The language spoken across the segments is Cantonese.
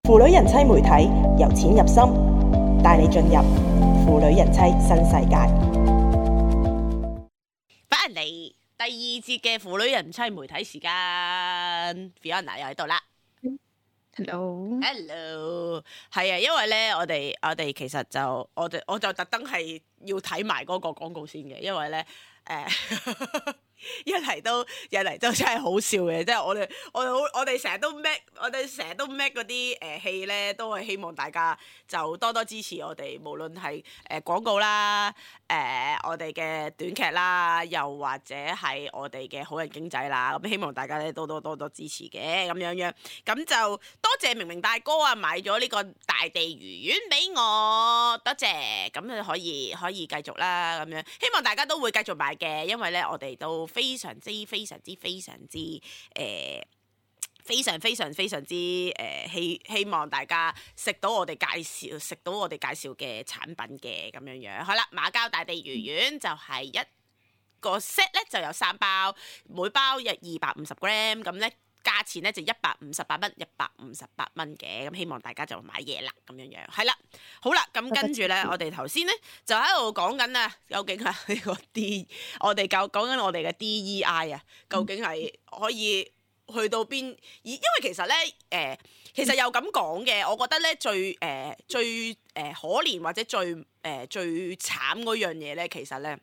腐女人妻媒體由淺入深，帶你進入腐女人妻新世界。翻嚟第二節嘅腐女人妻媒體時間 ，Fiona 又喺度啦。Hello， 係啊，因為咧，我哋其實就我就特登係要睇埋嗰個廣告先嘅，因為咧一嚟都真係好笑嘅，即係我哋成日都 make 嗰啲戲咧，都係希望大家就多多支持我哋，無論係廣告啦，我哋嘅短劇啦，又或者係我哋嘅好人經濟啦，咁希望大家咧多多支持嘅咁樣，咁就多謝明明大哥啊買咗呢個大地魚丸俾我，多謝，咁就可以繼續啦，咁樣希望大家都會繼續買嘅，因為咧我哋都非常之希望大家食到我哋介紹嘅產品嘅咁樣。好啦，馬交大地魚丸就係一個 set 咧就有3包，每包有250 gram， 咁咧價錢咧就158蚊嘅，咁希望大家就買嘢啦咁樣。係啦，好啦，咁跟住咧，我哋頭先咧就喺度講緊啊，究竟係呢個我哋講緊我哋嘅 DEI 啊，究竟係可以去到邊？因為其實咧，其實又咁講嘅，我覺得咧最可憐或者最慘嗰樣嘢咧，其實咧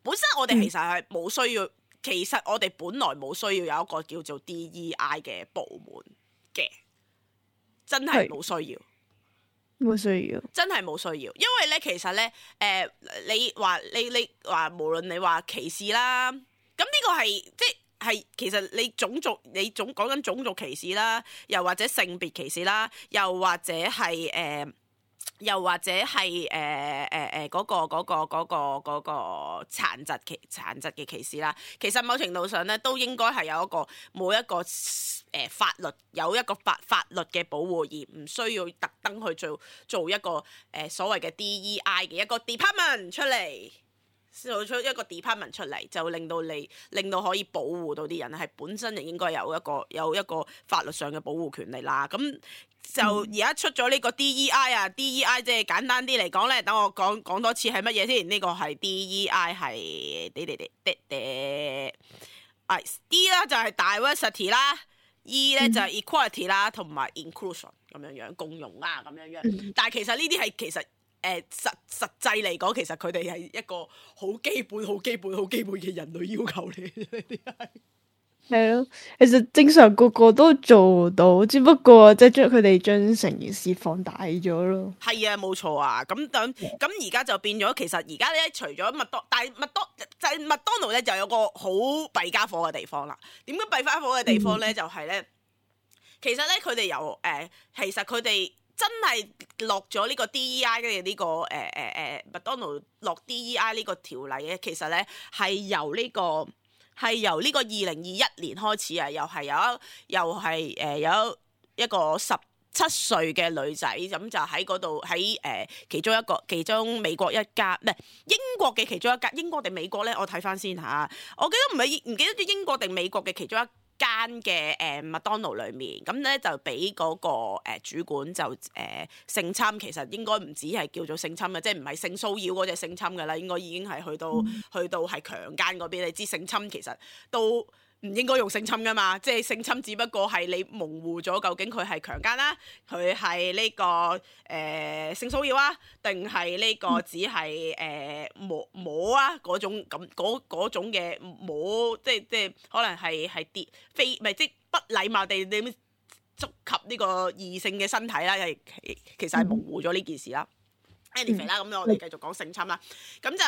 本身我哋其實係冇需要。其實我哋本來冇需要有一個叫做 DEI 嘅部門嘅，真係冇需要，真係冇需要。因為咧，其實咧，你話無論你話歧視啦，咁呢個係即係其實你講緊種族歧視啦，又或者性別歧視啦，又或者係嗰個殘疾嘅歧視啦，其實某程度上咧都應該係有冇一個法律有一個法律嘅保護，而唔需要特登去做一個所謂嘅 DEI 嘅一個 department 出嚟。做出一個 department 出嚟，就令到可以保護到啲人，係本身就應該有一個法律上嘅保護權利啦。咁就而家出咗呢個 DEI 啊，DEI 即係簡單啲嚟講咧，等我講多次係乜嘢先。呢個係 DEI 係D 啦就係 diversity 啦，E 咧就係 equality 啦，同埋 inclusion 咁樣共融啊咁樣。但係其實呢啲係其實。實際嚟講，其實佢哋係一個好基本嘅人類要求嚟嘅，呢啲係咯。其實正常個個都做到，只不過即係佢哋將成件事放大咗咯。係啊，冇錯啊。咁而家就變咗，其實而家咧除咗麥當勞咧就有個好弊家伙嘅地方啦。點解弊家伙嘅地方咧？就係咧，其實咧佢哋其實佢哋。真係落咗呢個 DEI 嘅呢個麥當勞落 DEI 呢個條例咧，其實咧係由呢個2021年開始啊，又係有一個17歲嘅女仔，咁就喺嗰度喺其中美國一家唔係英國嘅其中一家，英國定美國咧？我睇翻先嚇，我記得唔記得咗英國定美國嘅其中一間嘅麥當勞裏面，咁咧就俾嗰個主管就性侵，其實應該唔止係叫做性侵嘅，即係唔係性騷擾嗰隻性侵嘅啦，應該已經係去到係強姦嗰邊。你知性侵其實都唔應該用性侵噶嘛，即係性侵只不過係你模糊咗究竟佢係強姦啦，佢係呢個性騷擾啊，定係呢個只係摸啊嗰種嘅摸，即係可能係跌飛，唔係即係不禮貌地你觸及呢個異性嘅身體啦，其實係模糊咗呢件事啦。anyway 啦，咁我哋繼續講性侵啦。咁就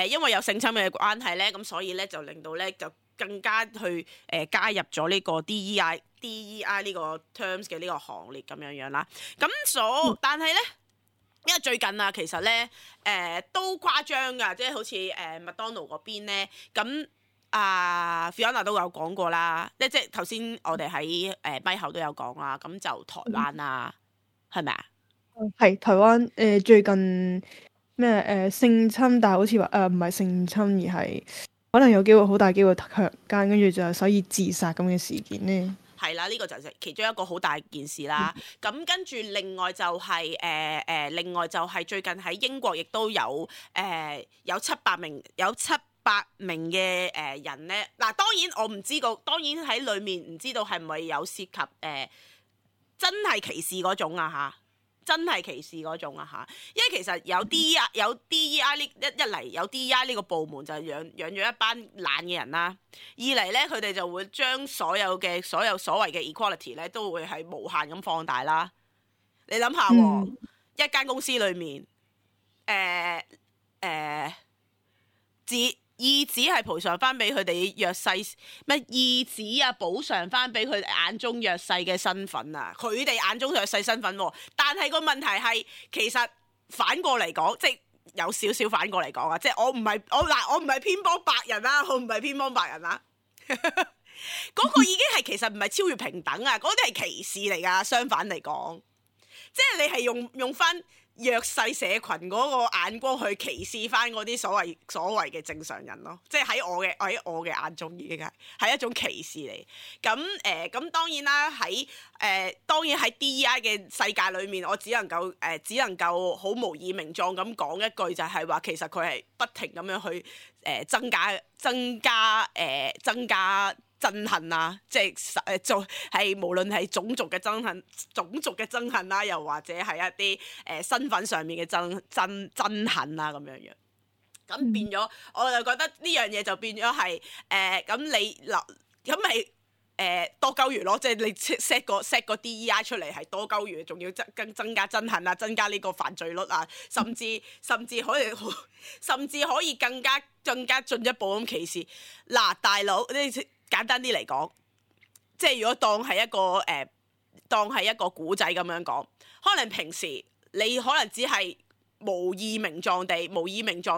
因為有性侵嘅關係咧，咁所以咧就令到咧就更加去加入咗呢個 DEI 呢個 terms 嘅呢個行列咁樣啦。咁但係咧，因為最近啊，其實咧都誇張㗎，即係好似麥當勞嗰邊咧，咁Fiona 都有講過啦，即係頭先我哋喺咪後都有講啦，咁就台灣啦，係咪啊？係台灣最近咩性侵，但係好似話唔係性侵，而係可能有機會好大機會強姦，跟住就所以自殺咁嘅事件咧。係啦，呢個就係其中一個好大件事啦。咁跟住另外就係另外就係最近喺英國亦都有700名嘅人咧。嗱，當然我唔知道，當然喺裡面唔知道係咪有涉及真係歧視嗰種啊嚇。真係歧視嗰種啊嚇，因為其實有 DEI 呢一嚟有 DEI 呢個部門就養咗一班懶嘅人啦。二嚟咧，佢哋就會將所有所謂嘅 equality 咧，都會係無限咁放大啦。你諗下喎，一間公司裏面意指係賠償翻俾佢哋弱勢，咩意指啊補償翻俾佢哋眼中弱勢嘅身份啊，佢哋眼中弱勢身份喎。但係個問題係，其實反過嚟講，即係有少少反過嚟講啊，即係我唔係偏幫白人啦，我唔係偏幫白人啦。嗰個已經係其實唔係超越平等啊，嗰啲係歧視嚟㗎。相反嚟講，即係你係用翻弱勢社群嗰個眼光去歧視翻嗰啲所謂嘅正常人咯，即係喺我嘅眼中已經係一種歧視嚟。咁當然啦，喺 DEI 嘅世界裏面，我只能夠好無以名狀咁講一句，就係話其實佢係不停咁樣去增加憎恨啊，即係係無論係種族嘅憎恨啦，又或者係一啲身份上面嘅憎恨啊咁樣。咁變咗，我就覺得呢樣嘢就變咗係咁你嗱咁咪多鳩餘咯，即係你 set 個 DEI 出嚟係多鳩餘，仲要增加憎恨啊，增加呢個犯罪率啊，甚至可以更加進一步咁歧視。嗱，大佬你簡單啲嚟講，即係如果當係一個古仔咁樣講，可能平時你可能只係無意名狀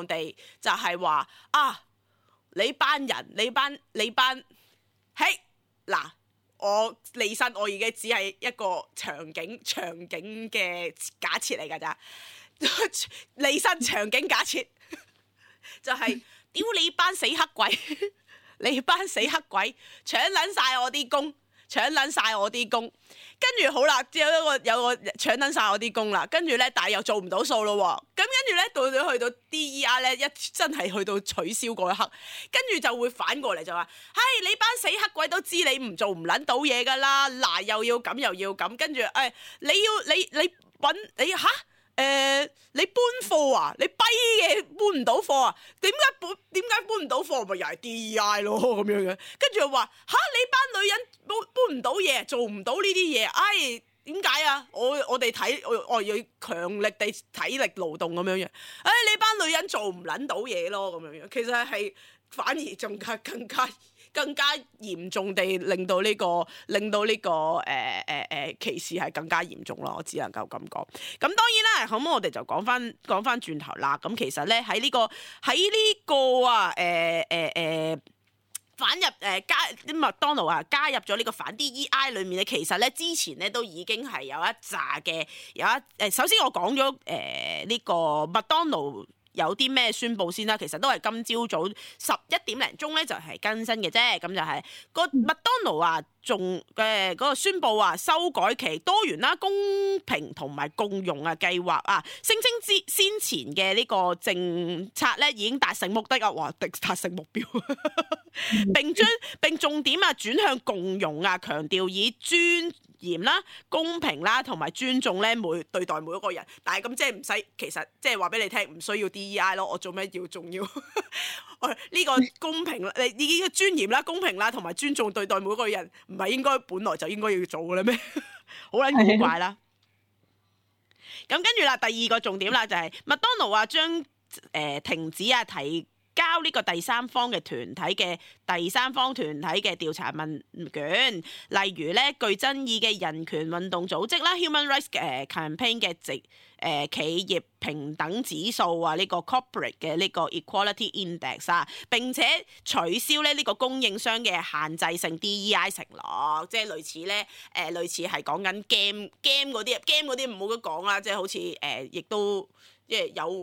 地就係話啊，你班嘿嗱，我離身，我已經只係一個場景嘅假設嚟㗎咋，離身場景假設就係屌你班死黑鬼！你班死黑鬼搶撚晒我啲工，跟住好啦，有個搶撚晒我啲工啦，跟住咧，但係又做唔到數咯喎，咁跟住咧到咗去到 DEI 咧，真係去到取消嗰一刻，跟住就會反過嚟就話，你班死黑鬼都知你唔做唔撚到嘢㗎啦，嗱又要咁又要咁，跟住你搬貨啊？你跛嘅搬唔到貨啊？點解搬唔到貨？咪又係 DEI 咯咁樣嘅。跟住又話你班女人搬唔到嘢，做唔到呢啲嘢。點解啊？我哋我要強力地體力勞動咁樣樣。你班女人做唔撚到嘢咯咁樣樣。其實係反而仲更加嚴重地令到呢個歧視係更加嚴重咯，我只能夠咁講。咁當然啦，咁我哋就講翻轉頭啦。咁其實咧喺呢個麥當勞啊加入咗呢個反 DEI 裏面咧，其實咧之前咧都已經係有一紮嘅首先我講咗呢個麥當勞有啲咩宣佈先啦，其實都係今朝早11點零鐘咧就係更新嘅啫，咁就係個麥當勞啊，仲嗰個宣佈啊，修改其多元啦、公平同埋共融啊計劃啊，聲稱先前嘅呢個政策咧已經達成目的啊，哇，達成目標，並重點啊轉向共融啊，強調以尊嚴啦、公平啦同埋尊重咧對待每一個人，但係咁即係唔使，其實即係話俾你聽，唔需要 DEI 咯，我做咩仲要呢個公平啦？你呢個尊嚴啦、公平啦同埋尊重對待每一個人，唔係應該本來就應該要做嘅咧咩？好撚古怪啦！咁跟住啦，第二個重點啦就係麥當勞啊將停止啊提交呢個第三方團體嘅調查問卷，例如咧具爭議嘅人權運動組織啦 Human Rights Campaign 嘅企業平等指數啊，呢個 corporate 嘅呢個 Equality Index 啊，並且取消咧呢個供應商嘅限制性 DEI 承諾，即係類似係講緊 game 嗰啲唔好咁講啦，即係好似亦都。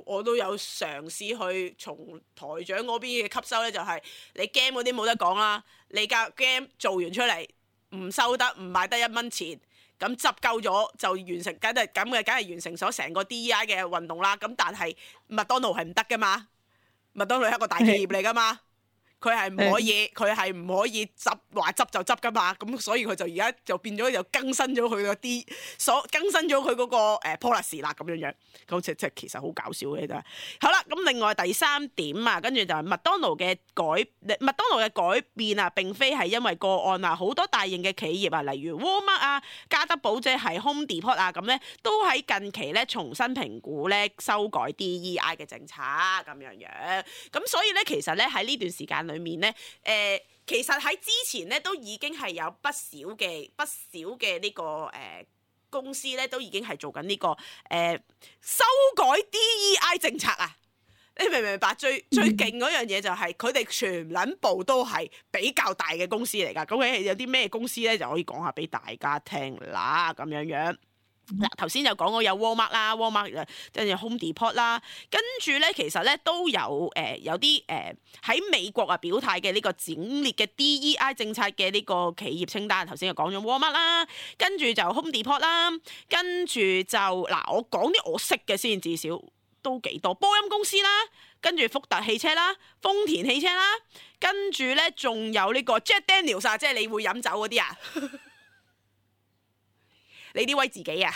我都有嘗試去從台長嗰邊嘅吸收咧，就係你 game 嗰啲冇得講啦，你架 game 做完出嚟唔收得，唔買得1蚊錢，咁執夠咗就完成，梗係完成咗成個 DEI 嘅運動啦。咁但係麥當勞係唔得噶嘛，麥當勞係一個大企業嚟噶嘛。佢係唔可以，佢係唔可以話執就執噶嘛，咁所以佢就而家就變咗又更新咗佢嗰啲更新咗佢嗰個policy 啦咁樣樣，咁即係其實好搞笑嘅啫。好啦，咁另外第3點啊，跟住就係麥當勞嘅改變啊，並非係因為個案啊，好多大型嘅企業啊，例如 Walmart 啊、加德寶即係 Home Depot 啊，咁咧都喺近期咧重新評估咧修改 DEI 嘅政策咁樣樣，咁所以咧其實咧喺呢段時間裏面咧，其實喺之前咧都已經係有不少嘅呢個公司咧都已經係做緊呢個修改 DEI 政策啊！你明唔明白？最勁嗰樣嘢就係佢哋全撚部都係比較大嘅公司嚟㗎。究竟有啲咩公司咧就可以講下俾大家聽啦，咁樣樣。嗱，頭先就講過有 Walmart 啦，Walmart 跟住 Home Depot 啦，跟住咧其實咧都有啲喺美國啊表態嘅呢個整列嘅 DEI 政策嘅呢個企業清單，頭先就講咗 Walmart 啦，跟住就 Home Depot 啦，跟住就嗱我講啲我識嘅先，至少都幾多，波音公司啦，跟住福特汽車啦，豐田汽車啦，跟住咧仲有呢個 Jack Daniels 啊，即係你會飲酒嗰啲啊。你啲威自己啊，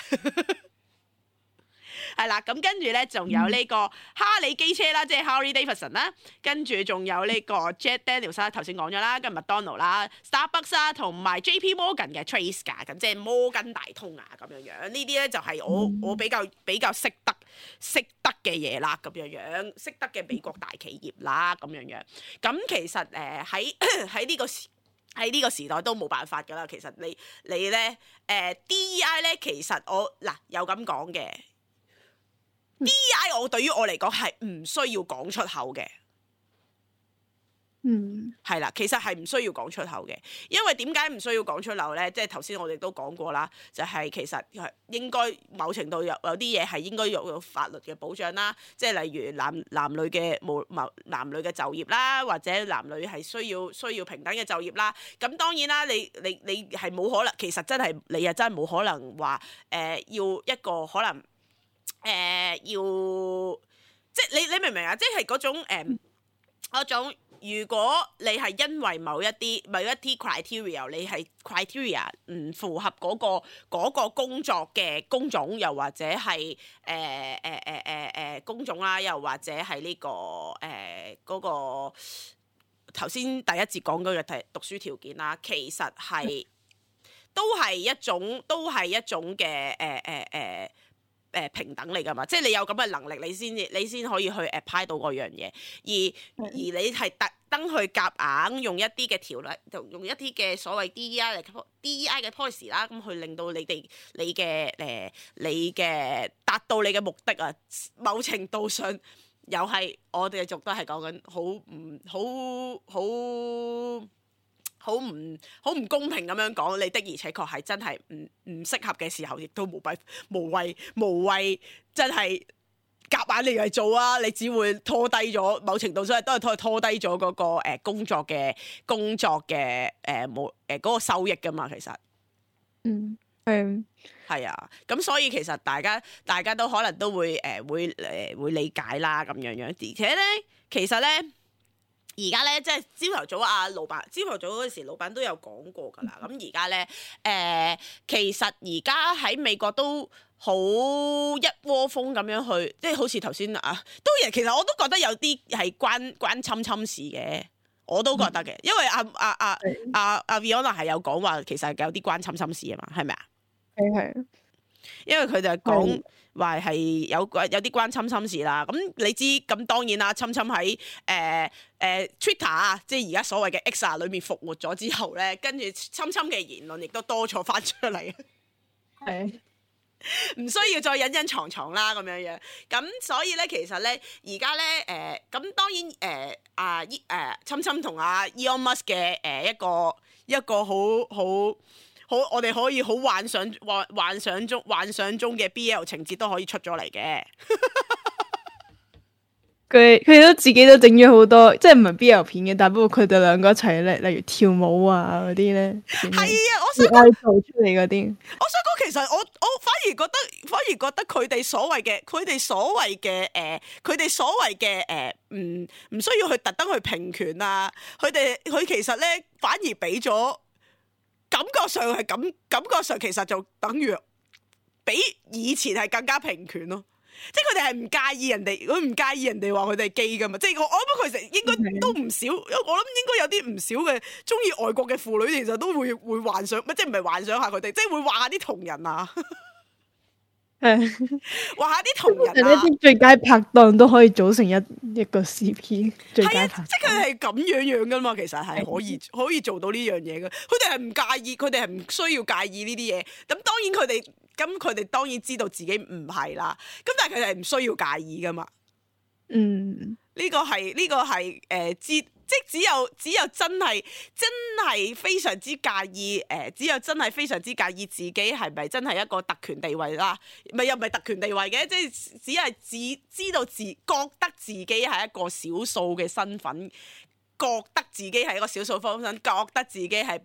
係啦，咁跟住咧，仲有呢個哈利機車啦，即係 Harley Davidson 啦，跟住仲有呢個 Jack Daniels 啦，頭先講咗啦，跟住麥當勞啦、Starbucks 啦，同埋 JP Morgan 嘅 Trace 㗎，咁即係摩根大通啊，咁樣樣，呢啲咧就係我比較識得嘅嘢啦，咁樣樣，識得嘅美國大企業啦，咁樣樣，咁其實喺呢個時代都冇辦法㗎啦，其實你咧DEI 咧，其實我有咁講嘅DEI， 我對於我嚟講係唔需要講出口嘅。係啦，其實係唔需要講出口嘅，因為點解唔需要講出口咧？即係頭先我哋都講過啦，就係其實係應該某程度有啲嘢係應該有法律嘅保障啦，即係例如男女嘅就業啦，或者男女係需要平等嘅就業啦。咁當然啦，你係冇可能，其實真係你又真係冇可能話要一個可能要即係你明唔明啊？即係嗰種。如果你係因為某一啲 criteria， 你係 criteria 唔符合嗰個工作嘅工種，又或者係工種啦，又或者係呢個嗰個頭先第一節講嗰個讀書條件啦，其實係都係一種嘅平等嚟㗎嘛，即係你有咁嘅能力，你先可以去 apply 到嗰樣嘢，而你係特登去夾硬用一啲嘅條例，用一啲嘅所謂 DEI 嘅 policy 啦，咁去令到你嘅達到你嘅目的啊，某程度上又係我哋族都係講緊好唔公平咁樣講，你的而且確係真係唔適合嘅時候，亦都無謂真係夾硬你嚟做啊！你只會拖低咗，某程度上都係拖低咗嗰個工作嘅嗰個收益噶嘛，其實係啊，咁所以其實大家都可能都會理解啦咁樣樣，而且咧其實咧。而家咧，即係朝頭早老闆，朝頭早嗰時老闆都有講過㗎啦。咁而家咧，其實而家喺美國都好一窩蜂咁樣去，即係好似頭先其實我都覺得有啲係關侵事嘅，我都覺得嘅，因為阿 Viona 係有講話，其實有啲關侵事啊嘛，係咪啊？係。因為佢就講話係有啲關侵事啦，咁你知咁當然啦，侵喺Twitter 啊，即係而家所謂嘅 X 啊裏面復活咗之後咧，跟住侵嘅言論亦都多咗翻出嚟，係唔需要再隱藏啦咁樣樣，咁所以咧其實咧而家咧咁當然侵同阿 Elon Musk 嘅一個好，我哋可以好幻想中嘅 BL 情節都可以出咗嚟嘅，佢都自己都整咗好多，即係唔係 BL 片嘅，但不過佢哋兩個一齊咧，例如跳舞啊嗰啲咧，係啊，我想愛做出嚟嗰啲。我想講，其實我反而覺得佢哋所謂嘅佢哋所謂嘅唔需要去特登去平權啊，佢其實咧反而俾咗感覺上其實就等於比以前係更加平權咯。即係佢哋係唔介意人哋，佢唔介意人哋話佢哋係基噶嘛。即係我諗佢哋應該都唔少，我諗應該有啲唔少嘅中意外國嘅婦女，其實都會幻想，即係唔係幻想下佢哋，即係會畫下啲同人啊，畫下啲同人啊。啲最佳拍檔都可以組成一個 CP 最佳拍檔。即係佢哋係咁樣噶嘛，其實係可以做到呢樣嘢嘅。佢哋係唔介意，佢哋係唔需要介意呢啲嘢。咁當然佢哋當然知道自己唔係啦。咁但係佢哋係唔需要介意噶嘛。呢個係即係只有真係非常之介意只有真係非常之介意自己係咪真係一個特權地位啦？又唔係特權地位嘅，即係只係知道覺得自己係一個少數嘅身份，覺得自己係一個少數方身，覺得自己係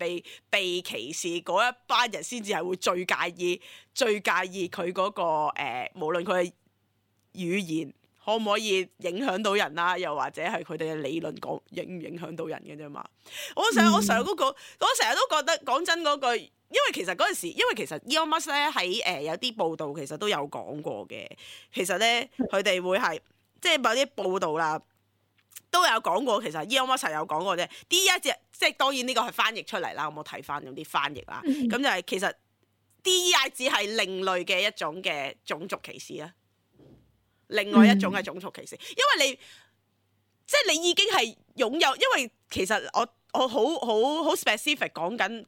被歧視嗰一班人先至係會最介意佢嗰個無論佢嘅語言可唔可以影響到人啦，又或者係佢哋嘅理論影唔影響到人嘅啫嘛。我成日都覺得講真嗰句，因為其實嗰陣時，因為其實 Elon Musk 咧喺有啲報道其實都有講過嘅。其實咧佢哋會係即係某啲報道啦，都有講過。其實 Elon Musk 有講過啫。DEI 即係當然呢個係翻譯出嚟啦，我冇睇翻嗰啲翻譯啦。咁就係其實 DEI 只係另類嘅一種嘅種族歧視啦。另外一種係種族歧視，因為你已經係擁有，因為其實我好 specific 講緊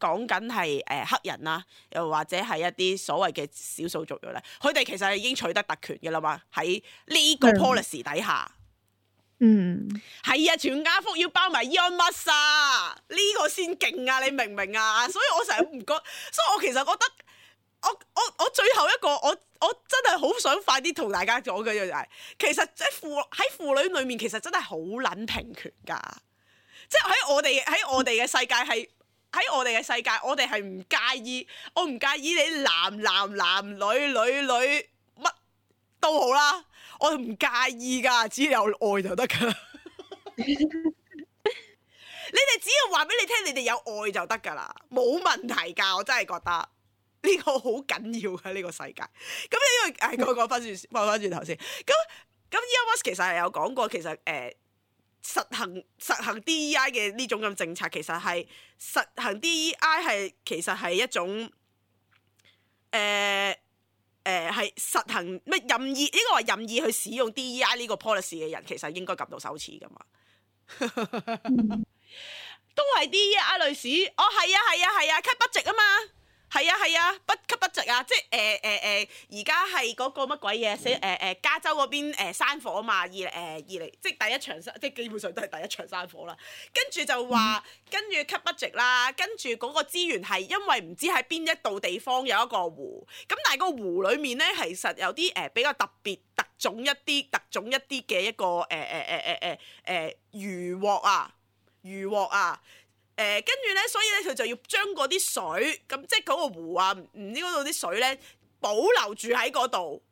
係黑人啦，又或者係一啲所謂嘅少數族裔咧，佢哋其實係已經取得特權嘅啦嘛，喺呢個 policy 底下，係啊，全家福要包埋 Elon Musk 啊，呢個先勁啊，你明唔明啊？所以我成日唔覺，所以我其實覺得。我最後一個我真係好想快啲同大家講嘅就係，其實喺婦女裏面其實真係好撚平權㗎，即係喺我哋嘅世界係喺我哋嘅世界，我哋係唔介意，我唔介意你男女乜都好啦，我唔介意㗎，只要有愛就得㗎。你哋只要話俾你聽，你哋有愛就得㗎啦，冇問題㗎，我真係覺得。呢個好緊要嘅呢個世界，咁因為講翻轉頭先，咁 Elon Musk 其實係有講過，其實實行 DEI 嘅呢種咁政策，其實係實行 DEI 係其實係一種係實行咩任意，應該話任意去使用 DEI 呢個 policy 嘅人，其實應該感到羞恥噶嘛。都係 DEI 女士，哦係啊 cut budget 啊嘛。係啊，不給不值啊！即係而家係嗰個乜鬼嘢？加州嗰邊山火啊嘛，二嚟即係第一場即係基本上都係第一場山火啦。跟住就話，跟住給不值啦。跟住嗰個資源係因為唔知喺邊一度地方有一個湖，咁但係個湖裡面咧，其實有啲比較特別特種一啲嘅一個漁獲啊。跟住咧，所以咧佢就要將嗰啲水，咁即係嗰個湖啊，唔知嗰度啲水咧保留住喺嗰度，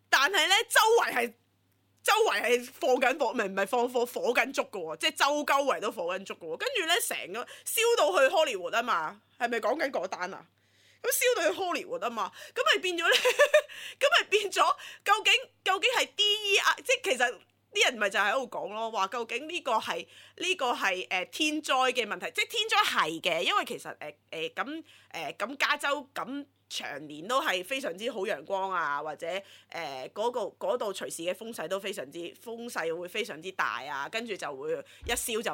但係咧周圍係放緊火，唔係放火緊燭嘅喎，即係周圍都火緊燭嘅喎。跟住咧成個燒到去 Hollywood 啊嘛，係咪講緊嗰單啊？咁燒到去 Hollywood 啊嘛，咁咪變咗咧，究竟係 DEI，即係其實。啲人咪就喺度講咯，話究竟呢個係天災嘅問題，即係天災係嘅，因為其實咁加州咁長年都係非常之好陽光啊，或者嗰度隨時嘅風勢會非常之大啊，跟住就會一燒就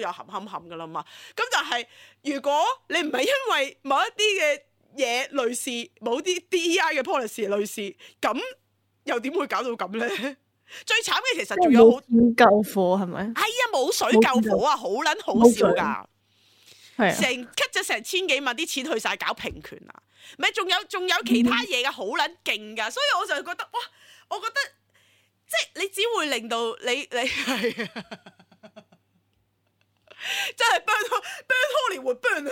冚冚噶啦嘛。咁但係如果你唔係因為某一啲嘅嘢類似，某啲 DEI 嘅 policy 類似，咁又點會搞到咁咧？最慘嘅其實仲有冇救火係咪？係啊，冇水救火啊，好撚好笑噶，係成 cut 咗成千幾萬啲錢去晒搞平權啊，咪仲有其他嘢噶，好撚勁噶，所以我就覺得哇，我覺得即係你只會令到你係真係 burn Hollywood burn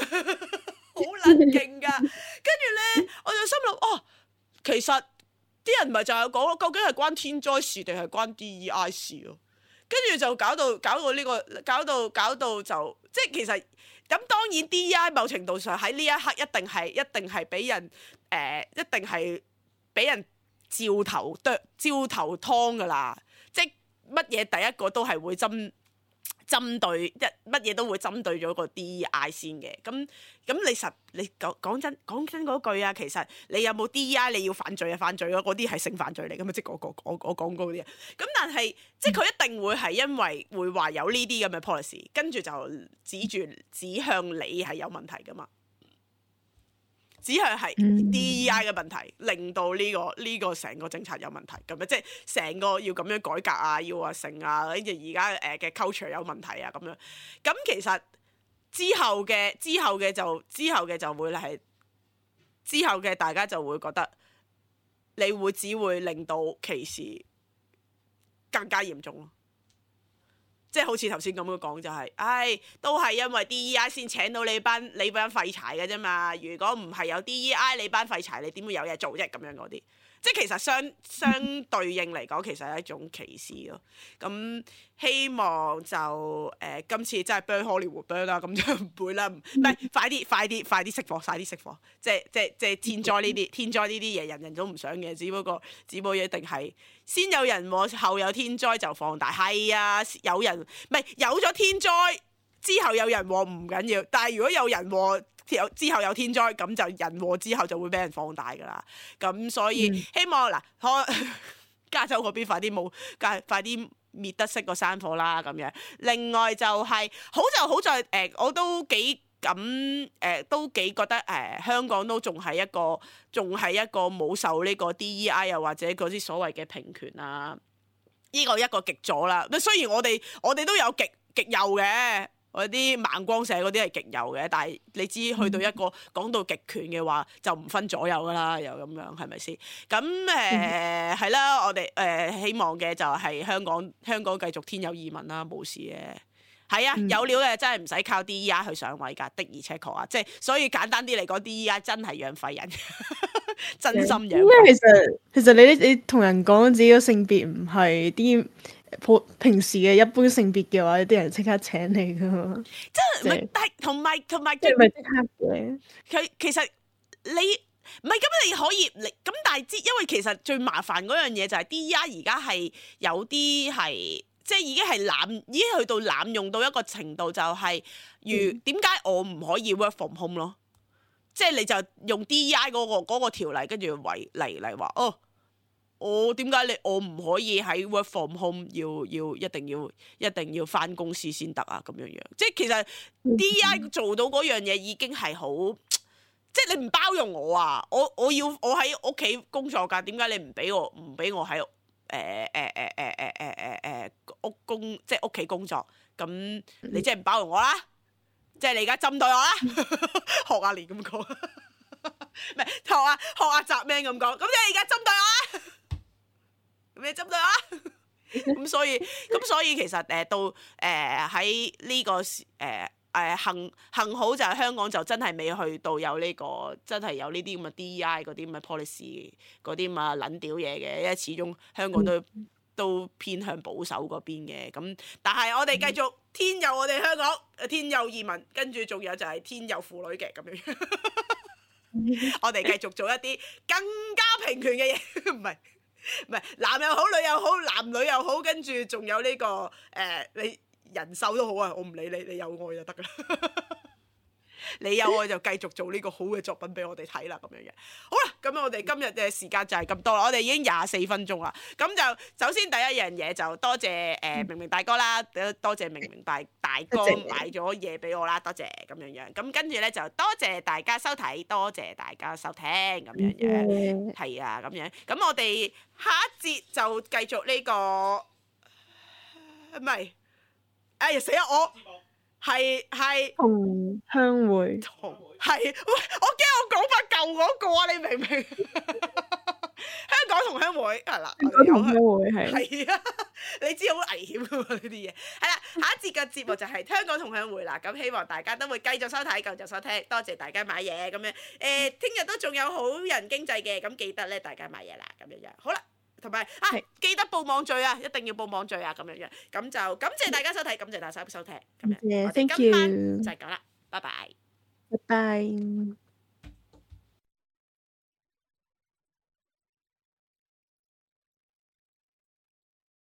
好撚勁㗎。跟住咧，我就心諗哦，其實啲人咪就係講咯，究竟係關天災事定係關 DEI 事咯？跟住就搞到呢個，搞到就即係其實咁當然 DEI 某程度上喺呢一刻一定係俾人一定係俾人照頭湯㗎啦，即係乜嘢第一個都係會針對乜嘢都會針對咗個 DEI 先嘅。咁你講真嗰句啊，其實你有冇 DEI 你要犯罪啊，犯罪嗰啲係性犯罪嚟㗎嘛，即係我講嗰啲啊。咁但係即係佢一定會係因為會話有呢啲咁嘅 policy， 跟住就指向你係有問題㗎嘛。只係 DEI 嘅問題，令到呢個成個政策有問題咁樣，即係成個要咁樣改革啊，要話成啊，跟住而家嘅 culture 有問題啊咁樣。咁其實之後嘅就會係之後嘅大家就會覺得你只會令到歧視更加嚴重咯。即係好似頭先咁樣講就係，都係因為 DEI 先請到你班廢柴嘅啫嘛。如果唔係有 DEI， 你班廢柴你點會有嘢做啫？咁樣嗰啲，即係其實相對應嚟講，其實係一種歧視咯。咁希望就今次真係 burn Hollywood burn 啦，咁就唔會啦。唔係快啲熄火，快啲熄火。即係天災呢啲嘢，人人都唔想嘅，只不過一定係先有人禍，後有天災就放大。係啊，有咗天災之後有人禍唔緊要，但係如果有人禍之後有天災，咁就人禍之後就會俾人放大㗎啦。咁所以希望加州嗰邊快啲滅得熄個山火啦咁樣。另外就係好在我都幾覺得香港都仲係一個冇受呢個 DEI 又或者嗰啲所謂嘅平權啊，呢個一個極左啦。雖然我哋都有極右嘅，嗰啲盲光社嗰啲係極右嘅，但係你知去到一個講到極權嘅話，就唔分左右噶啦，又咁樣係咪先？咁係啦，我哋希望嘅就係香港繼續天有異民啦，冇事嘅。係啊，有料嘅真係唔使靠 DEI 去上位㗎，的而且確啊，即係所以簡單啲嚟講，DEI 真係養廢人，真心養廢人。因為其實你同人講自己個性別唔係啲平時嘅一般性別嘅話，啲人即刻請你㗎嘛。真係，但係同埋即係咪即刻嘅？佢其實你唔係咁，你可以咁，但係因為其實最麻煩嗰樣嘢就係 DEI 而家係有啲係。即係已經去到濫用到一個程度，就係點解我唔可以 work from home 咯？即係你就用 DEI 嗰個條例，跟住嚟話我點解我唔可以喺 work from home 一定要返公司先得啊？咁樣即係其實 DEI 做到嗰樣嘢已經係好，即係你唔包容我啊！我喺屋企工作㗎，點解你唔俾我喺即係屋企工作，咁你即係唔包容我啦，即係你而家針對我啦，學阿蓮咁講，唔係學阿澤 man 咁講，咁你而家針對我啦，咁你針對我啦，咁所以其實到喺呢個幸好就係香港就真係未去到有呢個真係有呢啲咁嘅 DEI 嗰啲咁嘅 policy 嗰啲咁啊撚屌嘢嘅，因為始終香港都偏向保守嗰邊嘅，咁但係我哋繼續天佑我哋香港，天佑移民，跟住仲有就係天佑婦女嘅咁樣，我哋繼續做一啲更加平權嘅嘢，唔係男又好女又好，男女又好，跟住仲有呢個你人獸都好啊，我唔理你有愛就得噶啦。你有愛就繼續做呢個好嘅作品俾我哋睇啦，咁樣嘅。好啦，咁我哋今日嘅時間就係咁多啦，我哋已經24分鐘啦。咁就首先第一樣嘢就多謝明明大哥啦，多謝明明大哥買咗嘢俾我啦，多謝咁樣樣。咁跟住咧就多謝大家收睇，多謝大家收聽咁樣樣。係啊，咁樣。咁我哋下一節就繼續呢個，唔係，哎呀死啦我！係同鄉會，係喂，我驚我講翻舊嗰個啊！你明唔明？香港同鄉會係啦，香港同鄉會係係啊，你知好危險噶嘛呢啲嘢。係啦，下一節嘅節目就係香港同鄉會啦。咁希望大家都會繼續收睇，繼續收聽。多謝大家買嘢咁樣。聽日都仲有好人經濟嘅，咁記得咧大家買嘢啦，咁樣樣。好啦，同埋記得報網聚啊，一定要報網聚啊，咁樣樣。咁就感謝大家收睇，感謝大家收聽。咁樣，我哋 Thank 今晚 you，就係咁啦，拜拜。拜拜。